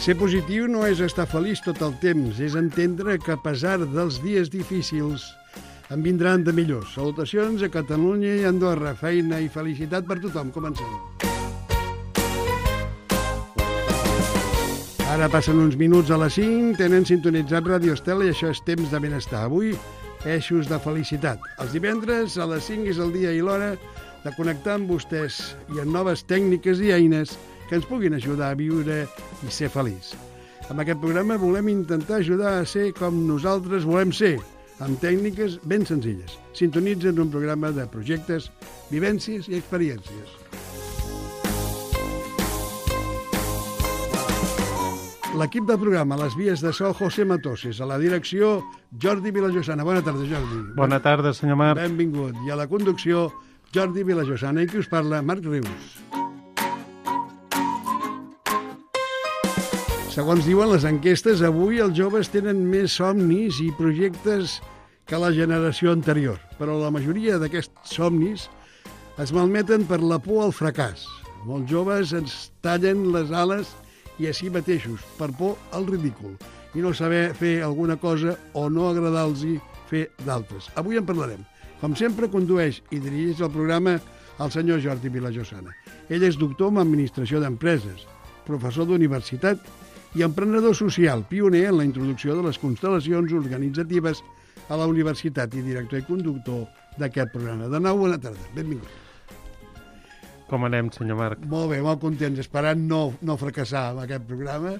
Ser positiu no és estar feliç tot el temps, és entendre que a pesar dels dies difícils en vindran de millors. Salutacions a Catalunya i Andorra, feina i felicitat per tothom. Comencem. Ara passen uns minuts a les 5, tenen sintonitzat Radio Estela i això és Temps de Benestar. Avui, eixos de felicitat. Els divendres a les 5 és el dia i l'hora de connectar amb vostès i amb noves tècniques i eines que ens puguin ajudar a viure i ser feliç. Amb aquest programa volem intentar ajudar a ser com nosaltres volem ser, amb tècniques ben senzilles. Sintonitzen un programa de projectes, vivències i experiències. L'equip del programa, a les vies de so, José Matoses, a la direcció, Jordi Vilajosana. Bona tarda, Jordi. Bona tarda, senyor Marc. Benvingut. I a la conducció, Jordi Vilajosana. I qui us parla, Marc Rius. Segons diuen les enquestes, avui els joves tenen més somnis i projectes que la generació anterior, però la majoria d'aquests somnis es malmeten per la por al fracàs. Molts joves ens tallen les ales i a si mateixos, per por al ridícul, i no saber fer alguna cosa o no agradar-los fer d'altres. Avui en parlarem. Com sempre, condueix i dirigeix el programa el senyor Jordi Vilajosana. Ell és doctor en Administració d'Empreses, professor d'universitat i emprenedor social, pioner en la introducció de les constel·lacions organitzatives a la universitat i director i conductor d'aquest programa. De nou, bona tarda. Benvingut. Com anem, senyor Marc? Molt bé, molt contents, esperant no fracassar amb aquest programa.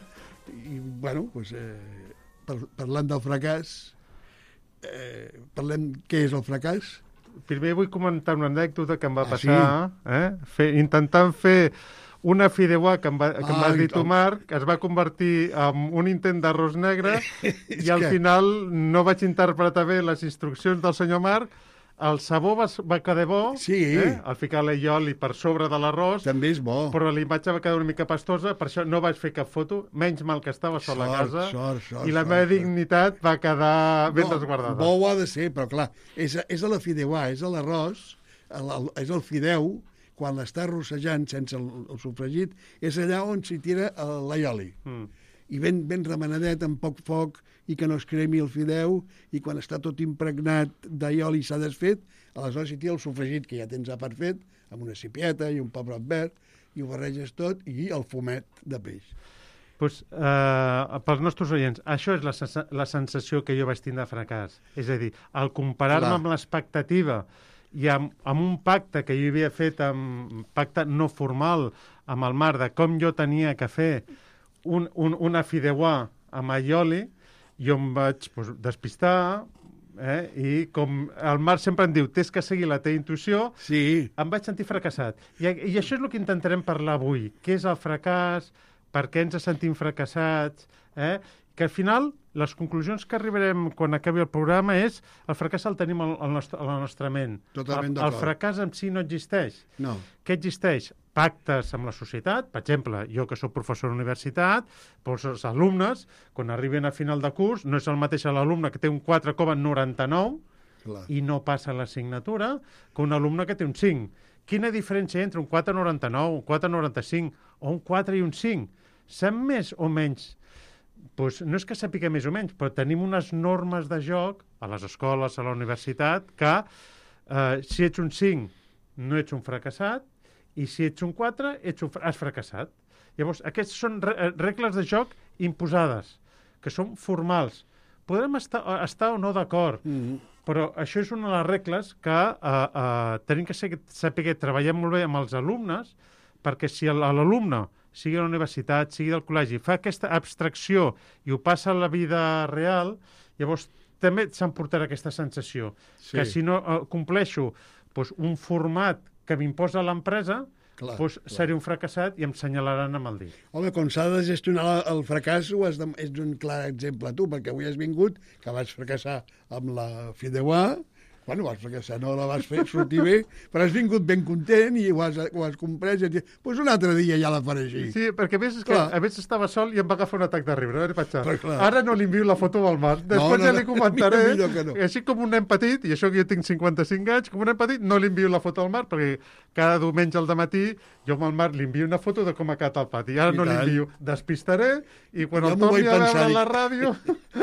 I, bueno, doncs, parlant del fracàs, parlem què és el fracàs. Primer vull comentar una anècdota que em va passar. Sí? Intentant fer una fideuà que em va dir tu, Marc, es va convertir en un intent d'arròs negre i al final no vaig interpretar bé les instruccions del senyor Marc. El sabó va quedar bo, sí. Al ficar l'allioli per sobre de l'arròs. També és bo. Però la imatge va quedar una mica pastosa, per això no vaig fer cap foto, menys mal que estava sola a casa, i la meva dignitat va quedar ben resguardada. Bo ho ha de ser, però clar, és a la fideuà, és a l'arròs, és el fideu, quan l'està rossejant sense el sofregit, és allà on s'hi tira l'allioli. I ben remenadet, amb poc foc, i que no es cremi el fideu, i quan està tot impregnat d'allioli i s'ha desfet, aleshores s'hi tira el sofregit, que ja tens a part fet, amb una cipieta i un pebrot verd, i ho barreges tot, i el fumet de peix. Pues, pels nostres oients, això és la sensació que jo vaig tindre de fracàs. És a dir, al comparar-me amb l'expectativa i amb un pacte que jo havia fet, un pacte no formal amb el Marc, de com jo tenia que fer una fideuà amb allioli, jo em vaig despistar, i com el Marc sempre em diu, tens que seguir la teva intuïció, sí. Em vaig sentir fracassat. I això és el que intentarem parlar avui. Què és el fracàs? Per què ens sentim fracassats? Que al final les conclusions que arribarem quan acabi el programa és el fracàs el tenim a la nostra ment. Totalment d'acord. El fracàs en si no existeix. No. Què existeix? Pactes amb la societat. Per exemple, jo que soc professor d'universitat, els alumnes, quan arriben a final de curs, no és el mateix l'alumne que té un 4,99 i no passa l'assignatura que un alumne que té un 5. Quina diferència entre un 4,99, un 4,95 o un 4 i un 5? Sap més o menys? Doncs no és que sàpiga més o menys, però tenim unes normes de joc a les escoles, a la universitat, que si ets un 5 no ets un fracassat i si ets un 4 has fracassat. Llavors, aquestes són regles de joc imposades, que són formals. Podrem estar o no d'acord, però això és una de les regles que tenim que saber treballar molt bé amb els alumnes, perquè si l'alumne, sigui a la universitat, sigui del col·legi, fa aquesta abstracció i ho passa a la vida real, llavors també s'emportarà aquesta sensació, que si no compleixo un format que m'imposa l'empresa, seré un fracassat i em senyalaran amb el dit. Home, com s'ha de gestionar el fracàs, ets un clar exemple tu, perquè avui has vingut, que vaig fracassar amb la fideuà, Bueno, perquè si no la vas fer sortir bé, però has vingut ben content i ho has comprès i doncs un altre dia ja la faré així. Sí, perquè a més, a més estava sol i em va agafar un atac de riure. Ara no li envio la foto del Marc. Després ja li comentaré. No. Així com un nen petit, i això que jo tinc 55 anys, com un nen petit, no li envio la foto al Marc, perquè cada diumenge al dematí jo amb el Marc li envio una foto de com ha quedat el pati. Ara no li envio. Despistaré i quan el torni a veure a la ràdio...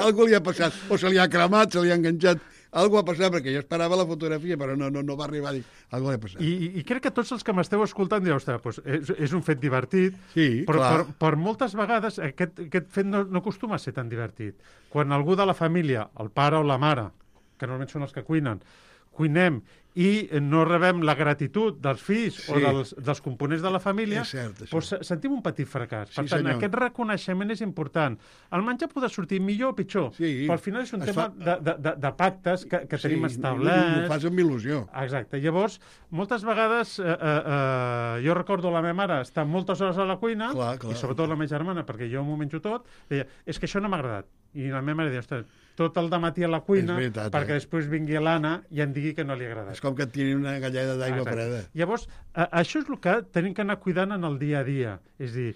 Algú li ha passat, o se li ha cremat, se li ha enganxat. Algú ha passat, perquè jo esperava la fotografia, però no va arribar a dir. Algú li ha passat. I crec que tots els que m'esteu escoltant direu, ostres, doncs és un fet divertit, sí, però per moltes vegades aquest fet no acostuma a ser tan divertit. Quan algú de la família, el pare o la mare, que normalment són els que cuinem i no rebem la gratitud dels fills o dels components de la família, doncs sentim un petit fracàs. Per tant, aquest reconeixement és important. El menjar podrà sortir millor o pitjor, però al final és un tema de pactes que tenim establerts. Ho fas amb il·lusió. Exacte. Llavors, moltes vegades, jo recordo la meva mare estar moltes hores a la cuina, i sobretot la meva germana, perquè jo m'ho menjo tot, deia, és que això no m'ha agradat. I la meva mare deia, ostres, tot el dematí a la cuina, perquè després vingui l'Anna i em digui que no li ha agradat. És com que et tiri una galleda d'aigua freda. Llavors, això és el que tenim que anar cuidant en el dia a dia. És a dir,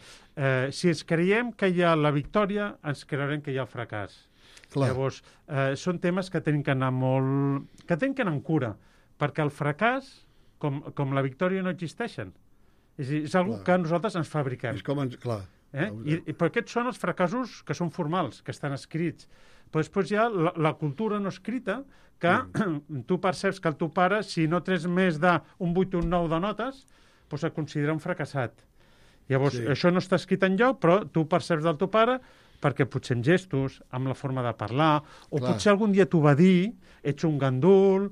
si ens creiem que hi ha la victòria, ens creurem que hi ha el fracàs. Llavors, són temes que tenim que anar que tenim que anar amb cura, perquè el fracàs, com la victòria, no existeixen. És a dir, és una cosa que nosaltres ens fabriquem. És com Però aquests són els fracassos que són formals, que estan escrits. Però després hi ha la cultura no escrita, que tu perceps que el teu pare, si no trets més d'un 8 o un 9 de notes, doncs et considera un fracassat. Llavors, això no està escrit enlloc, però tu perceps del teu pare perquè potser amb gestos, amb la forma de parlar, o potser algun dia t'ho va dir, ets un gandul,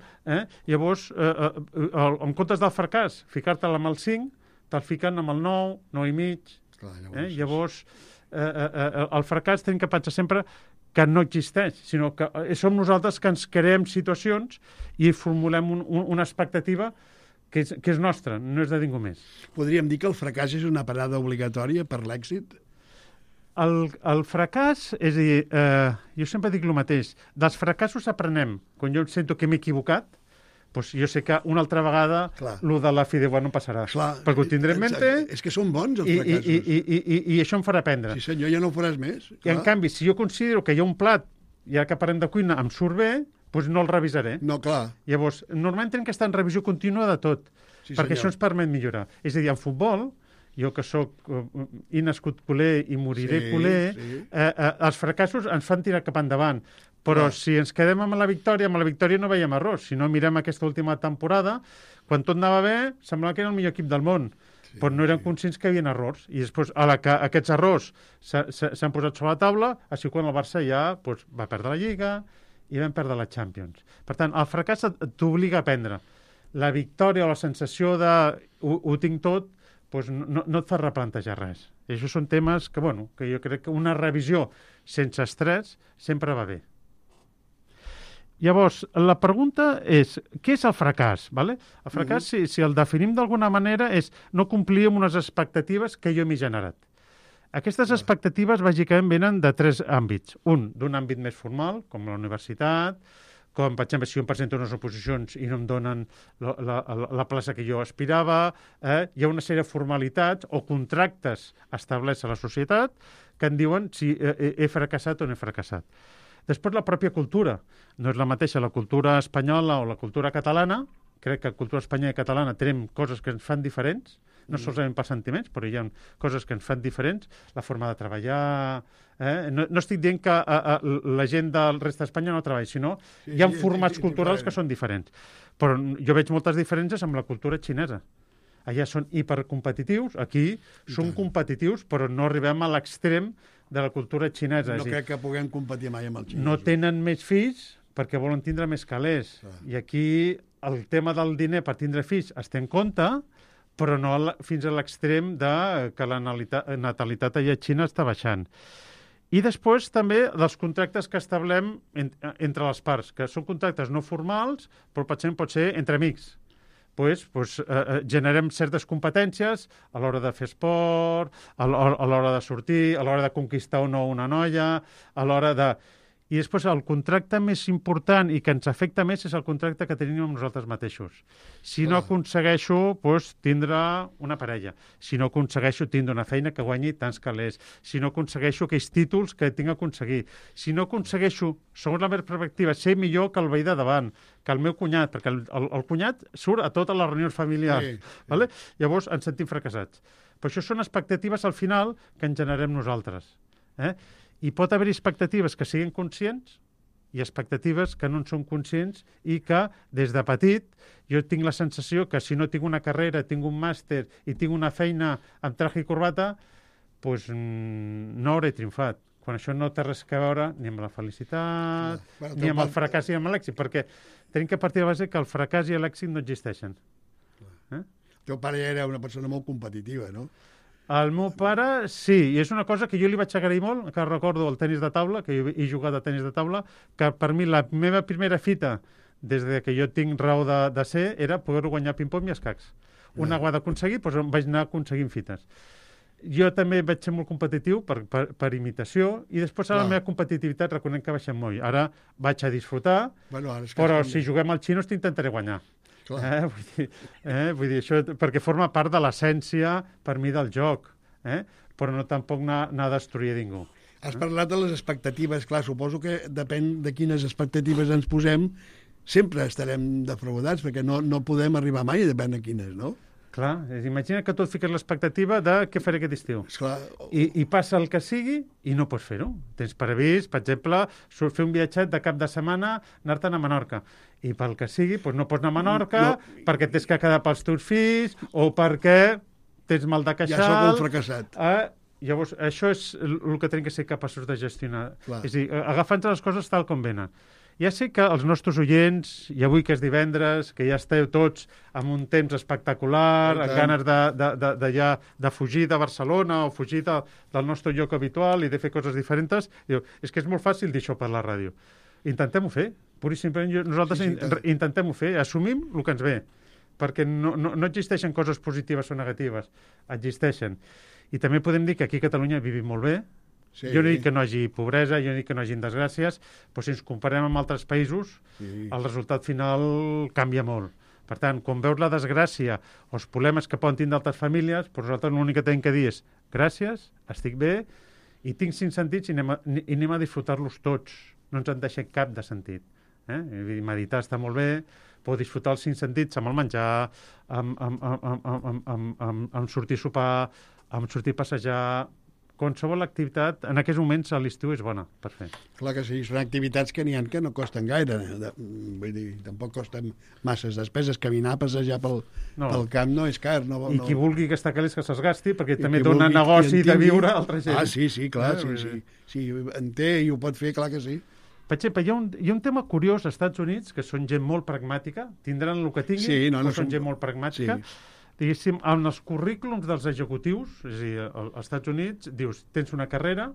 llavors, en comptes del fracàs, ficar-te'l amb el 5, te'l fiquen amb el 9, 9 i mig. Llavors, el fracàs tenim que pensar sempre que no existeix, sinó que som nosaltres que ens creem situacions i formulem una expectativa que és nostra, no és de ningú més. Podríem dir que el fracàs és una parada obligatòria per l'èxit? El fracàs, és a dir, jo sempre dic el mateix, dels fracassos aprenem. Quan jo sento que m'he equivocat, doncs jo sé que una altra vegada el de la fideuà no passarà. Perquè ho tindré en mente... És que són bons, els fracassos. I això em farà aprendre. Sí, senyor, ja no ho faràs més. I en canvi, si jo considero que hi ha un plat, ja que parlem de cuina, em surt bé, doncs no el revisaré. No, clar. Llavors, normalment tenim que estar en revisió contínua de tot, perquè això ens permet millorar. És a dir, en futbol, jo que sóc i nascut culer i moriré culer, els fracassos ens fan tirar cap endavant. Però si ens quedem amb la victòria no veiem errors. Si no mirem aquesta última temporada, quan tot anava bé, semblava que era el millor equip del món. Però no eren conscients que hi havia errors. I després, a la que aquests errors s'han posat sobre la taula, així quan el Barça ja va perdre la Lliga i vam perdre la Champions. Per tant, el fracàs t'obliga a aprendre. La victòria o la sensació de ho tinc tot, no et fa replantejar res. I això són temes que jo crec que una revisió sense estrès sempre va bé. Llavors, la pregunta és, què és el fracàs? El fracàs, si el definim d'alguna manera, és no complir amb unes expectatives que jo m'he generat. Aquestes expectatives, bàsicament, venen de 3 àmbits. Un, d'un àmbit més formal, com la universitat, com, per exemple, si jo em presento unes oposicions i no em donen la plaça que jo aspirava, hi ha una sèrie de formalitats o contractes establerts a la societat que em diuen si he fracassat o no he fracassat. Després, la pròpia cultura. No és la mateixa la cultura espanyola o la cultura catalana. Crec que la cultura espanyola i catalana tenim coses que ens fan diferents, no solament per sentiments, però hi ha coses que ens fan diferents. La forma de treballar... No estic dient que la gent del rest d'Espanya no treballi, sinó hi ha formats culturals que són diferents. Però jo veig moltes diferències amb la cultura xinesa. Allà són hipercompetitius, aquí són competitius, però no arribem a l'extrem de la cultura xinesa. No crec que puguem competir mai amb el xinès. No tenen més fills perquè volen tindre més calés. I aquí el tema del diner per tindre fills es té en compte, però no fins a l'extrem que la natalitat allà a Xina està baixant. I després també dels contractes que establem entre les parts, que són contractes no formals, però potser pot ser entre amics. Generem certes competències a l'hora de fer esport, a l'hora de sortir, a l'hora de conquistar o no una noia, a l'hora de... I després el contracte més important i que ens afecta més és el contracte que tenim amb nosaltres mateixos. Si no aconsegueixo tindre una parella, si no aconsegueixo tindre una feina que guanyi tants calés, si no aconsegueixo aquells títols que tinc a aconseguir, si no aconsegueixo, segons la meva perspectiva, ser millor que el veí de davant, que el meu cunyat, perquè el cunyat surt a totes les reunions familiars. Sí. Vale? Llavors ens sentim fracassats. Però això són expectatives al final que ens generem nosaltres. I pot haver expectatives que siguin conscients i expectatives que no en són conscients i que, des de petit, jo tinc la sensació que si no tinc una carrera, tinc un màster i tinc una feina amb traje i corbata, doncs no hauré triomfat. Quan això no té res a veure ni amb la felicitat, ni amb el fracàs i amb l'èxit, perquè tenim que partir de base que el fracàs i l'èxit no existeixen. El teu pare ja era una persona molt competitiva, no? El meu pare, sí, i és una cosa que jo li vaig agrair molt, que recordo el tenis de taula, que jo he jugat a tenis de taula, que per mi la meva primera fita, des de que jo tinc raó de ser, era poder guanyar ping-pong i escacs. Una ho ha d'aconseguir, doncs vaig anar aconseguint fites. Jo també vaig ser molt competitiu per imitació i després a la meva competitivitat reconec que baixem molt. Ara vaig a disfrutar, però si juguem al xinos t'intentaré guanyar. Vull dir, això perquè forma part de l'essència per mi del joc, però no tampoc anar a destruir ningú. Has parlat de les expectatives, clar, suposo que depèn de quines expectatives ens posem, sempre estarem defraudats, perquè no podem arribar mai, depèn de quines, no? Clar, imagina que tu et fiques l'expectativa de què faré aquest estiu. I passa el que sigui i no pots fer-ho. Tens previst, per exemple, fer un viatget de cap de setmana, anar-te'n a Menorca. I pel que sigui, doncs no pots anar a Menorca perquè t'has que quedar pels teus fills o perquè tens mal de queixal. Ja sóc un fracassat. Llavors, això és el que tenim que ser capaços de gestionar. És a dir, agafant les coses tal com venen. Ja sé que els nostres oients, i avui que és divendres, que ja esteu tots amb un temps espectacular, amb ganes de fugir de Barcelona o fugir del nostre lloc habitual i de fer coses diferents, diu, és que és molt fàcil dir això per la ràdio. Intentem-ho fer, pur i simplement nosaltres intentem-ho fer, assumim el que ens ve, perquè no existeixen coses positives o negatives, existeixen. I també podem dir que aquí a Catalunya vivim molt bé. Jo no dic que no hi hagi pobresa, jo no dic que no hi hagi desgràcies, però si ens comparem amb altres països, el resultat final canvia molt. Per tant, quan veus la desgràcia o els problemes que poden tindre altres famílies, doncs nosaltres l'únic que tenim que dir és gràcies, estic bé, i tinc 5 sentits i anem a disfrutar-los tots. No ens en deixem cap de sentit. Meditar està molt bé, però disfrutar els 5 sentits amb el menjar, amb sortir a sopar, amb sortir a passejar. Qualsevol activitat, en aquests moments a l'estiu és bona per fer. Clar que sí, són activitats que n'hi ha que no costen gaire. Vull dir, tampoc costen masses despeses. Caminar, passejar pel camp no és car. I qui vulgui gastar calés que se'ls gasti, perquè també dona negoci de viure a altra gent. Sí, clar, sí. En té i ho pot fer, clar que sí. Per exemple, hi ha un tema curiós als Estats Units, que són gent molt pragmàtica, tindran el que tinguin, però són gent molt pragmàtica. Diguéssim, en els currículums dels executius, és a dir, als Estats Units, dius, tens una carrera,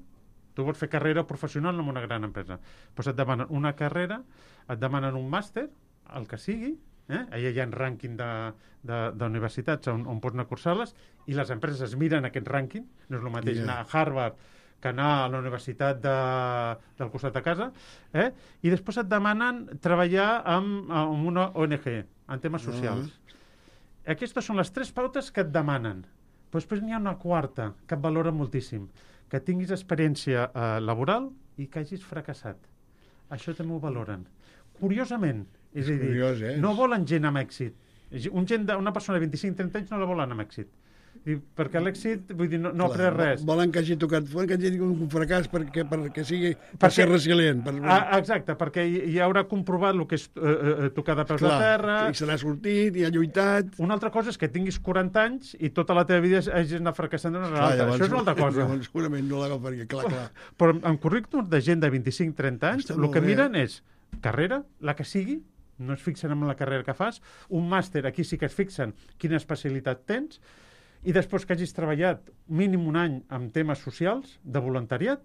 tu vols fer carrera professional en una gran empresa, doncs et demanen una carrera, et demanen un màster, el que sigui, allà hi ha un rànquing d'universitats on pots anar a cursar-les, i les empreses es miren aquest rànquing, no és el mateix anar a Harvard que anar a la universitat del costat de casa, i després et demanen treballar amb una ONG, en temes socials. Aquestes són les 3 pautes que et demanen. Però després n'hi ha una quarta que et valora moltíssim, que tinguis experiència laboral i que hagis fracassat. Això també ho valoren. Curiosament, és a dir, no volen gent amb èxit. Una persona de 25-30 anys no la volen amb èxit. Perquè l'èxit, vull dir, no ha après res. Volen que hagi tocat fora, que hagi tingut un fracàs perquè sigui per ser resilient. Exacte, perquè ja haurà comprovat el que és tocar de peus a terra. I se n'ha sortit, i ha lluitat. Una altra cosa és que tinguis 40 anys i tota la teva vida hagis anat fracassant d'una altra. Això és una altra cosa. Segurament no l'agafaria, clar. Però en currículums de gent de 25-30 anys, el que miren és carrera, la que sigui, no es fixen en la carrera que fas, un màster, aquí sí que es fixen quina especialitat tens, i després que hagis treballat mínim un any amb temes socials, de voluntariat,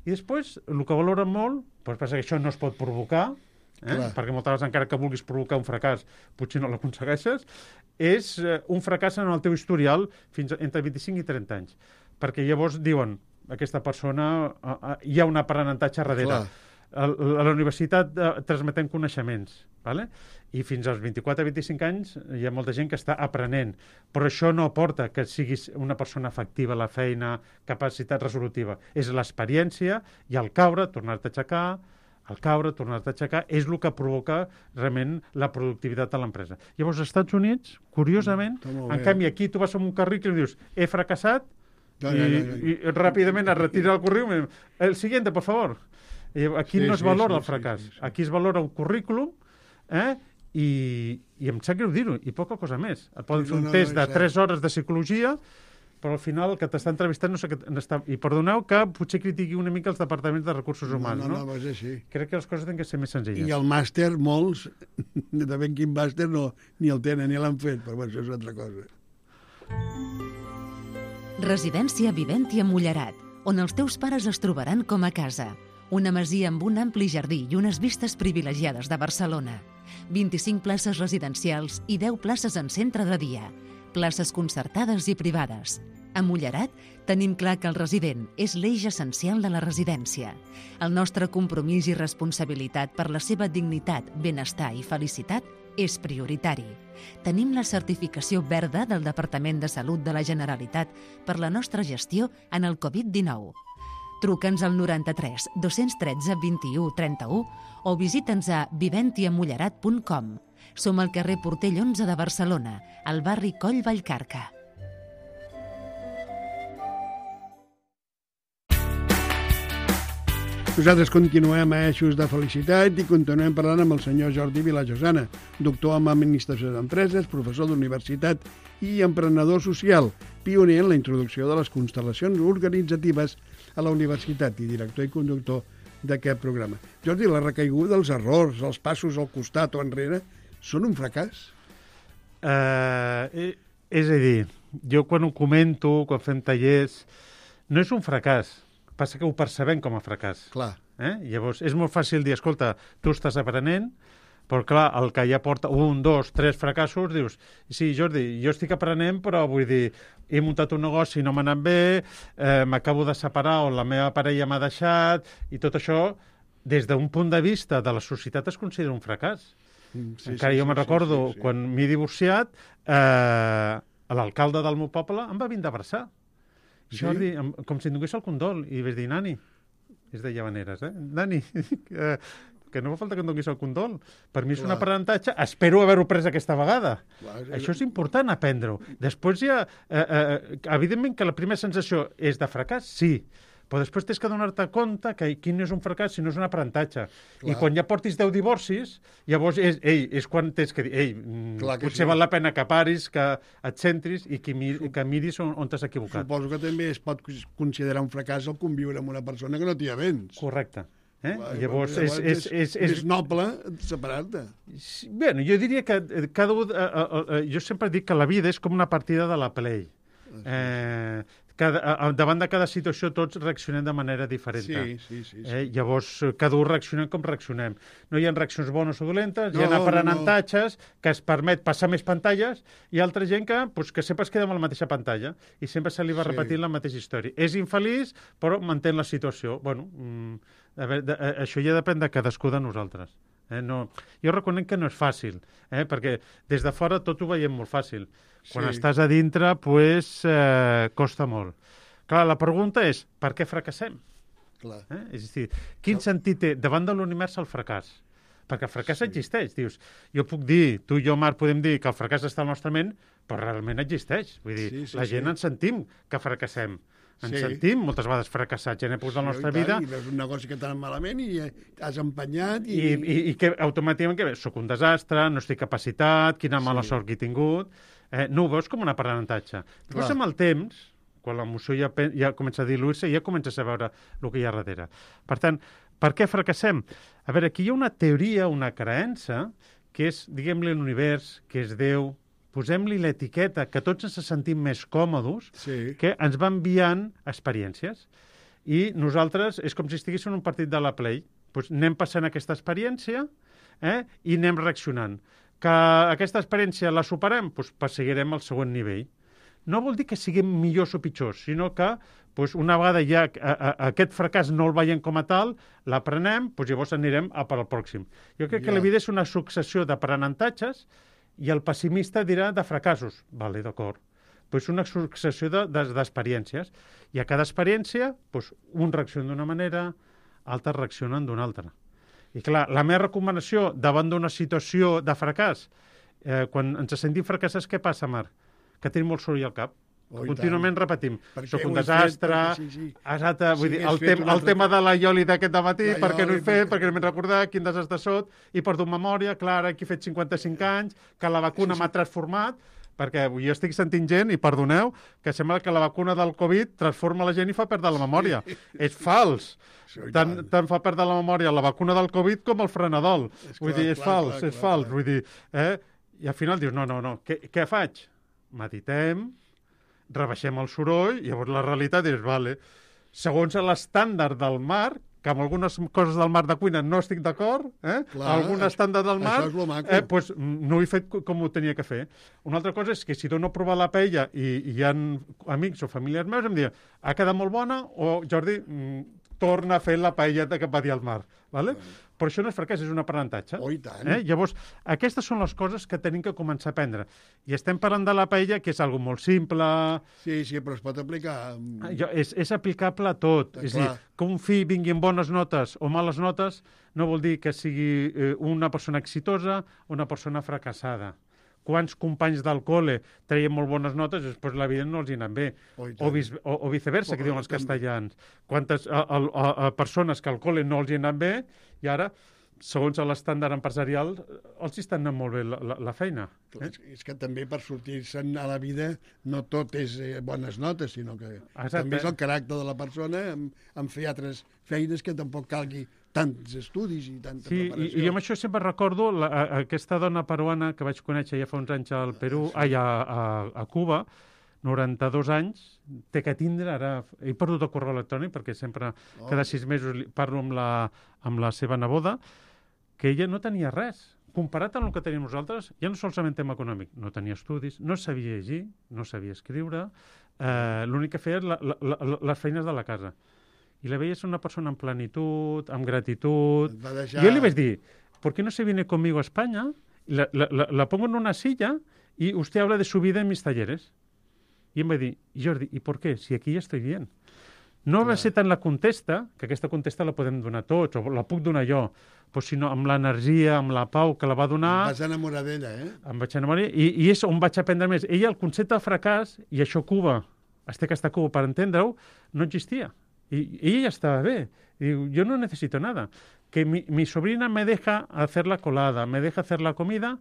i després el que valoren molt, doncs passa que això no es pot provocar, perquè moltes vegades encara que vulguis provocar un fracàs potser no l'aconsegueixes, és un fracàs en el teu historial fins entre 25 i 30 anys. Perquè llavors diuen, aquesta persona hi ha un aprenentatge darrere. a la universitat transmetem coneixements, ¿vale? I fins als 24-25 anys hi ha molta gent que està aprenent, però això no aporta que siguis una persona efectiva a la feina, capacitat resolutiva. És l'experiència i al caure, tornar-te a aixecar, és el que provoca realment la productivitat de l'empresa. Llavors, als Estats Units, curiosament, en canvi, aquí tu vas amb un currículum i dius, he fracassat, i ràpidament es retira el currículum. El siguiente, por favor. Aquí no es valora el fracàs. Aquí es valora un currículum, i em sap greu dir-ho, i poca cosa més. Et poden fer un test de 3 hores de psicologia, però al final el que t'està entrevistant no sé què està... I perdoneu que potser critiqui una mica els departaments de recursos humans, no? No, és així. Crec que les coses tenen que ser més senzilles. I el màster, molts, de ben quin màster, ni el tenen, ni l'han fet, però això és una altra cosa. Residència Viventia Mullerat, on els teus pares es trobaran com a casa. Una masia amb un ampli jardí i unes vistes privilegiades de Barcelona. 25 places residencials i 10 places en centre de dia. Places concertades i privades. A Mullerat tenim clar que el resident és l'eix essencial de la residència. El nostre compromís i responsabilitat per la seva dignitat, benestar i felicitat és prioritari. Tenim la certificació verda del Departament de Salut de la Generalitat per la nostra gestió en el Covid-19. Truca'ns al 93 213 21 31 o visita'ns a viventiamullerat.com. Som al carrer Portell 11 de Barcelona, al barri Coll Vallcarca. Nosaltres continuem a Eixos de Felicitat i continuem parlant amb el senyor Jordi Vilajosana, doctor en Administració d'Empreses, professor d'universitat i emprenedor social, pioner en la introducció de les constel·lacions organitzatives a la universitat i director i conductor d'aquest programa. Jordi, la recaiguda, els errors, els passos al costat o enrere, són un fracàs? És a dir, jo quan ho comento, quan fem tallers, no és un fracàs, passa que ho percebem com a fracàs. Clar. Llavors, és molt fàcil dir, escolta, tu estàs aprenent, però clar, el que ja porta 1, 2, 3 fracassos, dius, sí, Jordi, jo estic aprenent, però vull dir, he muntat un negoci, no m'ha anat bé, m'acabo de separar o la meva parella m'ha deixat, i tot això, des d'un punt de vista de la societat, es considera un fracàs. Encara jo me'n recordo, quan m'he divorciat, l'alcalde del meu poble em va vindre a abraçar. Jordi, com si em donés el condol, i vaig dir, Nani, és de Llavaneres, Nani, que no fa falta que em donis el condol. Per mi és un aprenentatge. Espero haver-ho pres aquesta vegada. Això és important, aprendre-ho. Després ja, evidentment que la primera sensació és de fracàs, sí, però després tens que donar-te compte que quin és un fracàs si no és un aprenentatge. I quan ja portis 10 divorcis, llavors és quan tens que dir, potser val la pena que paris, que et centris i que miris on t'has equivocat. Suposo que també es pot considerar un fracàs el conviure amb una persona que no t'hi avens. Correcte. Llavors és noble separar-te. Bé, jo diria que jo sempre dic que la vida és com una partida de la Play. Davant de cada situació tots reaccionem de manera diferent. Sí. Llavors, cada un reaccionem com reaccionem. No hi ha reaccions bones o dolentes, hi ha aprenentatges que es permet passar més pantalles i altra gent que sempre es queda amb la mateixa pantalla i sempre se li va repetint la mateixa història. És infeliç, però mantén la situació. Bueno, això ja depèn de cadascú de nosaltres. Jo reconec que no és fàcil, perquè des de fora tot ho veiem molt fàcil. Quan estàs a dintre, costa molt. Clar, la pregunta és, per què fracassem? És a dir, quin sentit té davant de l'univers el fracàs? Perquè el fracàs existeix. Dius, jo puc dir, tu i jo, Marc, podem dir que el fracàs està al nostre ment, però realment existeix. Vull dir, la gent ens sentim que fracassem. Ens sentim moltes vegades fracassats en èpoques de la nostra vida. I veus un negoci que t'ha anat malament i has empenyat. I que automàticament soc un desastre, no estic capacitat, quina mala sort que he tingut. No ho veus com un aprenentatge. Després amb el temps, quan l'emoció ja comença a diluir-se, ja comences a veure el que hi ha darrere. Per tant, per què fracassem? A veure, aquí hi ha una teoria, una creença, que és, diguem-li, l'univers, que és Déu, posem-li l'etiqueta, que tots ens sentim més còmodes, que ens va enviant experiències. I nosaltres, és com si estiguéssim en un partit de la Play. Doncs anem passant aquesta experiència i anem reaccionant. Que aquesta experiència la superem, doncs perseguirem el següent nivell. No vol dir que siguem millors o pitjors, sinó que doncs una vegada ja aquest fracàs no el veiem com a tal, l'aprenem, doncs llavors anirem a per al pròxim. Jo crec que la vida és una successió d'aprenentatges i el pessimista dirà de fracassos. Vale, d'acord. Doncs és una successió d'experiències. I a cada experiència, doncs, un reacciona d'una manera, altres reaccionen d'una altra. I clar, la meva recomanació davant d'una situació de fracàs, quan ens sentim fracassats, què passa, Marc? Que tenim molt soroll al cap. Contínuament repetim, soc un desastre, vull dir, el tema de la ioli d'aquest dematí, perquè no he fet, perquè no m'he recordat, quin desastre sóc, i perdo memòria, clar, aquí he fet 55 anys, que la vacuna m'ha transformat, perquè jo estic sentint gent, i perdoneu, que sembla que la vacuna del Covid transforma la gent i fa perdre la memòria. És fals. Tant fa perdre la memòria la vacuna del Covid com el frenadol. Vull dir, és fals. Vull dir, i al final dius, no, què faig? Meditem, rebaixem el soroll, i llavors la realitat és, vale, segons l'estàndard del mar, que amb algunes coses del mar de cuina no estic d'acord, algun estàndard del mar, doncs no ho he fet com ho tenia que fer. Una altra cosa és que si dono a provar la paella i hi ha amics o familiars meus, em diuen, ha quedat molt bona, o Jordi, torna a fer la paella que va dir al mar. Vale? Però això no és fracàs, és un aprenentatge. Oh, i tant. Llavors, aquestes són les coses que tenim que començar a aprendre. I estem parlant de la paella, que és algo molt simple. Sí, però es pot aplicar. És aplicable a tot. És a dir, que un fill vingui amb bones notes o males notes no vol dir que sigui una persona exitosa o una persona fracassada. Quants companys del col·le treien molt bones notes i després la vida no els hi anat bé. O viceversa, que diuen els castellans. Quantes persones que al col·le no els hi anat bé i ara, segons l'estàndard empresarial, els hi està anant molt bé la feina. És que també per sortir-se'n a la vida no tot és bones notes, sinó que també és el caràcter de la persona en fer altres feines que tampoc calgui tants estudis i tanta preparació. I amb això sempre recordo aquesta dona peruana que vaig conèixer ja fa uns anys al Perú, a Cuba, 92 anys, té que tindre, ara he perdut el correu electrònic perquè sempre cada 6 mesos parlo amb la seva neboda, que ella no tenia res. Comparat amb el que tenim nosaltres, ja no solament tema econòmic, no tenia estudis, no sabia llegir, no sabia escriure, l'únic que feia les feines de la casa. I la veia ser una persona amb plenitud, amb gratitud. Jo li vaig dir, ¿por qué no se viene conmigo a España? La pongo en una silla y usted habla de su vida en mis talleres. I em va dir, Jordi, ¿y por qué? Si aquí ja estoy bien. No va ser tant la contesta, que aquesta contesta la podem donar tots, o la puc donar jo, però sinó amb l'energia, amb la pau que la va donar... Em vaig enamorar d'ella, Em vaig enamorar, i és on vaig aprendre més. Ella, el concepte de fracàs, i això Cuba, que està a Cuba per entendre-ho, no existia. Y ella estaba bien. Digo, yo no necesito nada. Que mi sobrina me deja hacer la colada, me deja hacer la comida,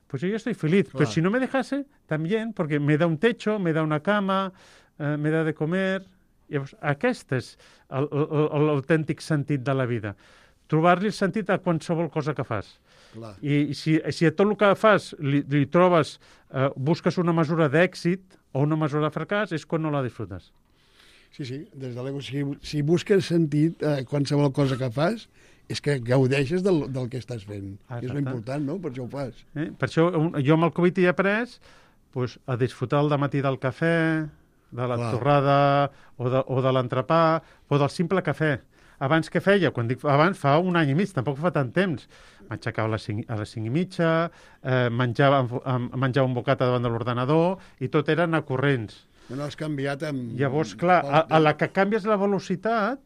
pues yo ya estoy feliz. Claro. Pero si no me dejase, también, porque me da un techo, me da una cama, me da de comer. Llavors, aquest és l'autèntic sentit de la vida. Trobar-li el sentit a qualsevol cosa que fas. Clar. I si a tot el que fas li trobes, busques una mesura d'èxit o una mesura de fracàs, és quan no la disfrutes. Sí, des de l'ego. Si busques sentit a qualsevol cosa que fas, és que gaudeixes del que estàs fent. És important, no? Per això ho fas. Per això jo amb el Covid he après a disfrutar el dematí del cafè, de la torrada o de l'entrepà, o del simple cafè. Abans què feia? Quan dic abans, fa un any i mig, tampoc fa tant temps. M'aixecava a les 5:30, menjava un bocata davant de l'ordenador i tot era anar corrents. No has canviat amb... Llavors, clar, a la que canvies la velocitat,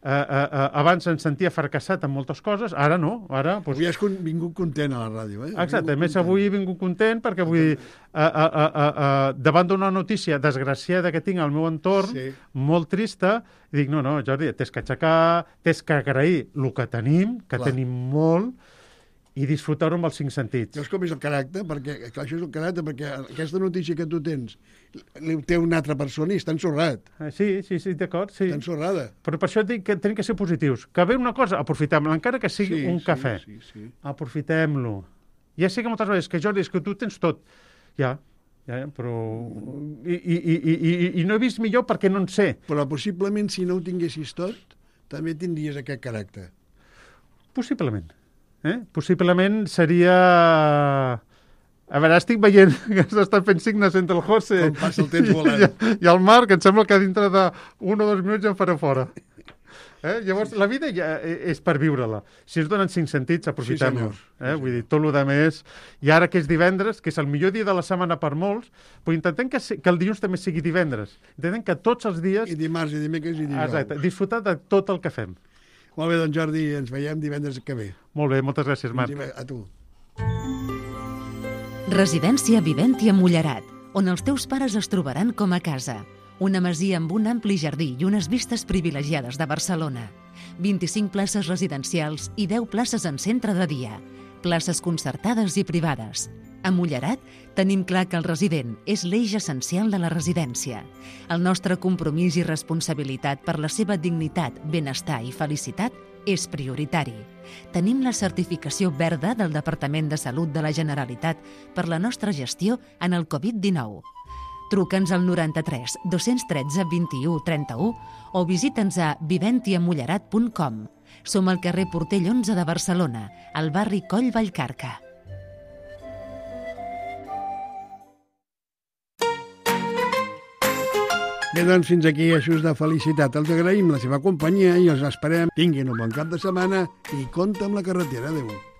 abans em sentia fracassat en moltes coses, ara no. Avui has vingut content a la ràdio, Exacte, a més avui he vingut content perquè vull dir, davant d'una notícia desgraciada que tinc al meu entorn, molt trista, i dic, no, Jordi, t'has que aixecar, t'has que agrair el que tenim, que tenim molt, i disfrutar-ho amb els 5 sentits. Veus com és el caràcter? Perquè això és el caràcter, perquè aquesta notícia que tu tens té una altra persona i està ensorrat. Sí, d'acord. Sí. Està ensorrada. Però per això dic que tenim que ser positius. Que ve una cosa, aprofitem-la, encara que sigui un cafè. Sí. Aprofitem-lo. Ja sé que moltes vegades que Jordi, és que tu tens tot. Ja, però... I no he vist millor perquè no en sé. Però possiblement si no ho tinguessis tot, també tindries aquest caràcter. Possiblement. Possiblement seria A veure, estic veient que s'estan fent signes entre el José Com passa el temps volant. i el Marc, que em sembla que dintre de 1 o 2 minuts ja em faré fora. Llavors, la vida ja és per viure-la. Si ens donen 5 sentits, aprofitem-los. Vull dir, tot el més... I ara que és divendres, que és el millor dia de la setmana per molts, però intentem que el dilluns també sigui divendres. Intentem que tots els dies... I dimarts, i dimecres, i dijous. Exacte, disfrutar de tot el que fem. Molt bé, doncs Jordi, ens veiem divendres que ve. Molt bé, moltes gràcies, Marc. A tu. Residència Viventia Mullerat, on els teus pares es trobaran com a casa. Una masia amb un ampli jardí i unes vistes privilegiades de Barcelona. 25 places residencials i 10 places en centre de dia. Places concertades i privades. A Mullerat tenim clar que el resident és l'eix essencial de la residència. El nostre compromís i responsabilitat per la seva dignitat, benestar i felicitat és prioritari. Tenim la certificació verda del Departament de Salut de la Generalitat per la nostra gestió en el Covid-19. Truca'ns al 93 213 21 31 o visita'ns a viventiamullerat.com. Som al carrer Portell 11 de Barcelona, al barri Coll Vallcarca. Bé, doncs fins aquí Eixos de Felicitat. Els agraïm la seva companyia i els esperem. Tinguin un bon cap de setmana i compte amb la carretera. Adéu.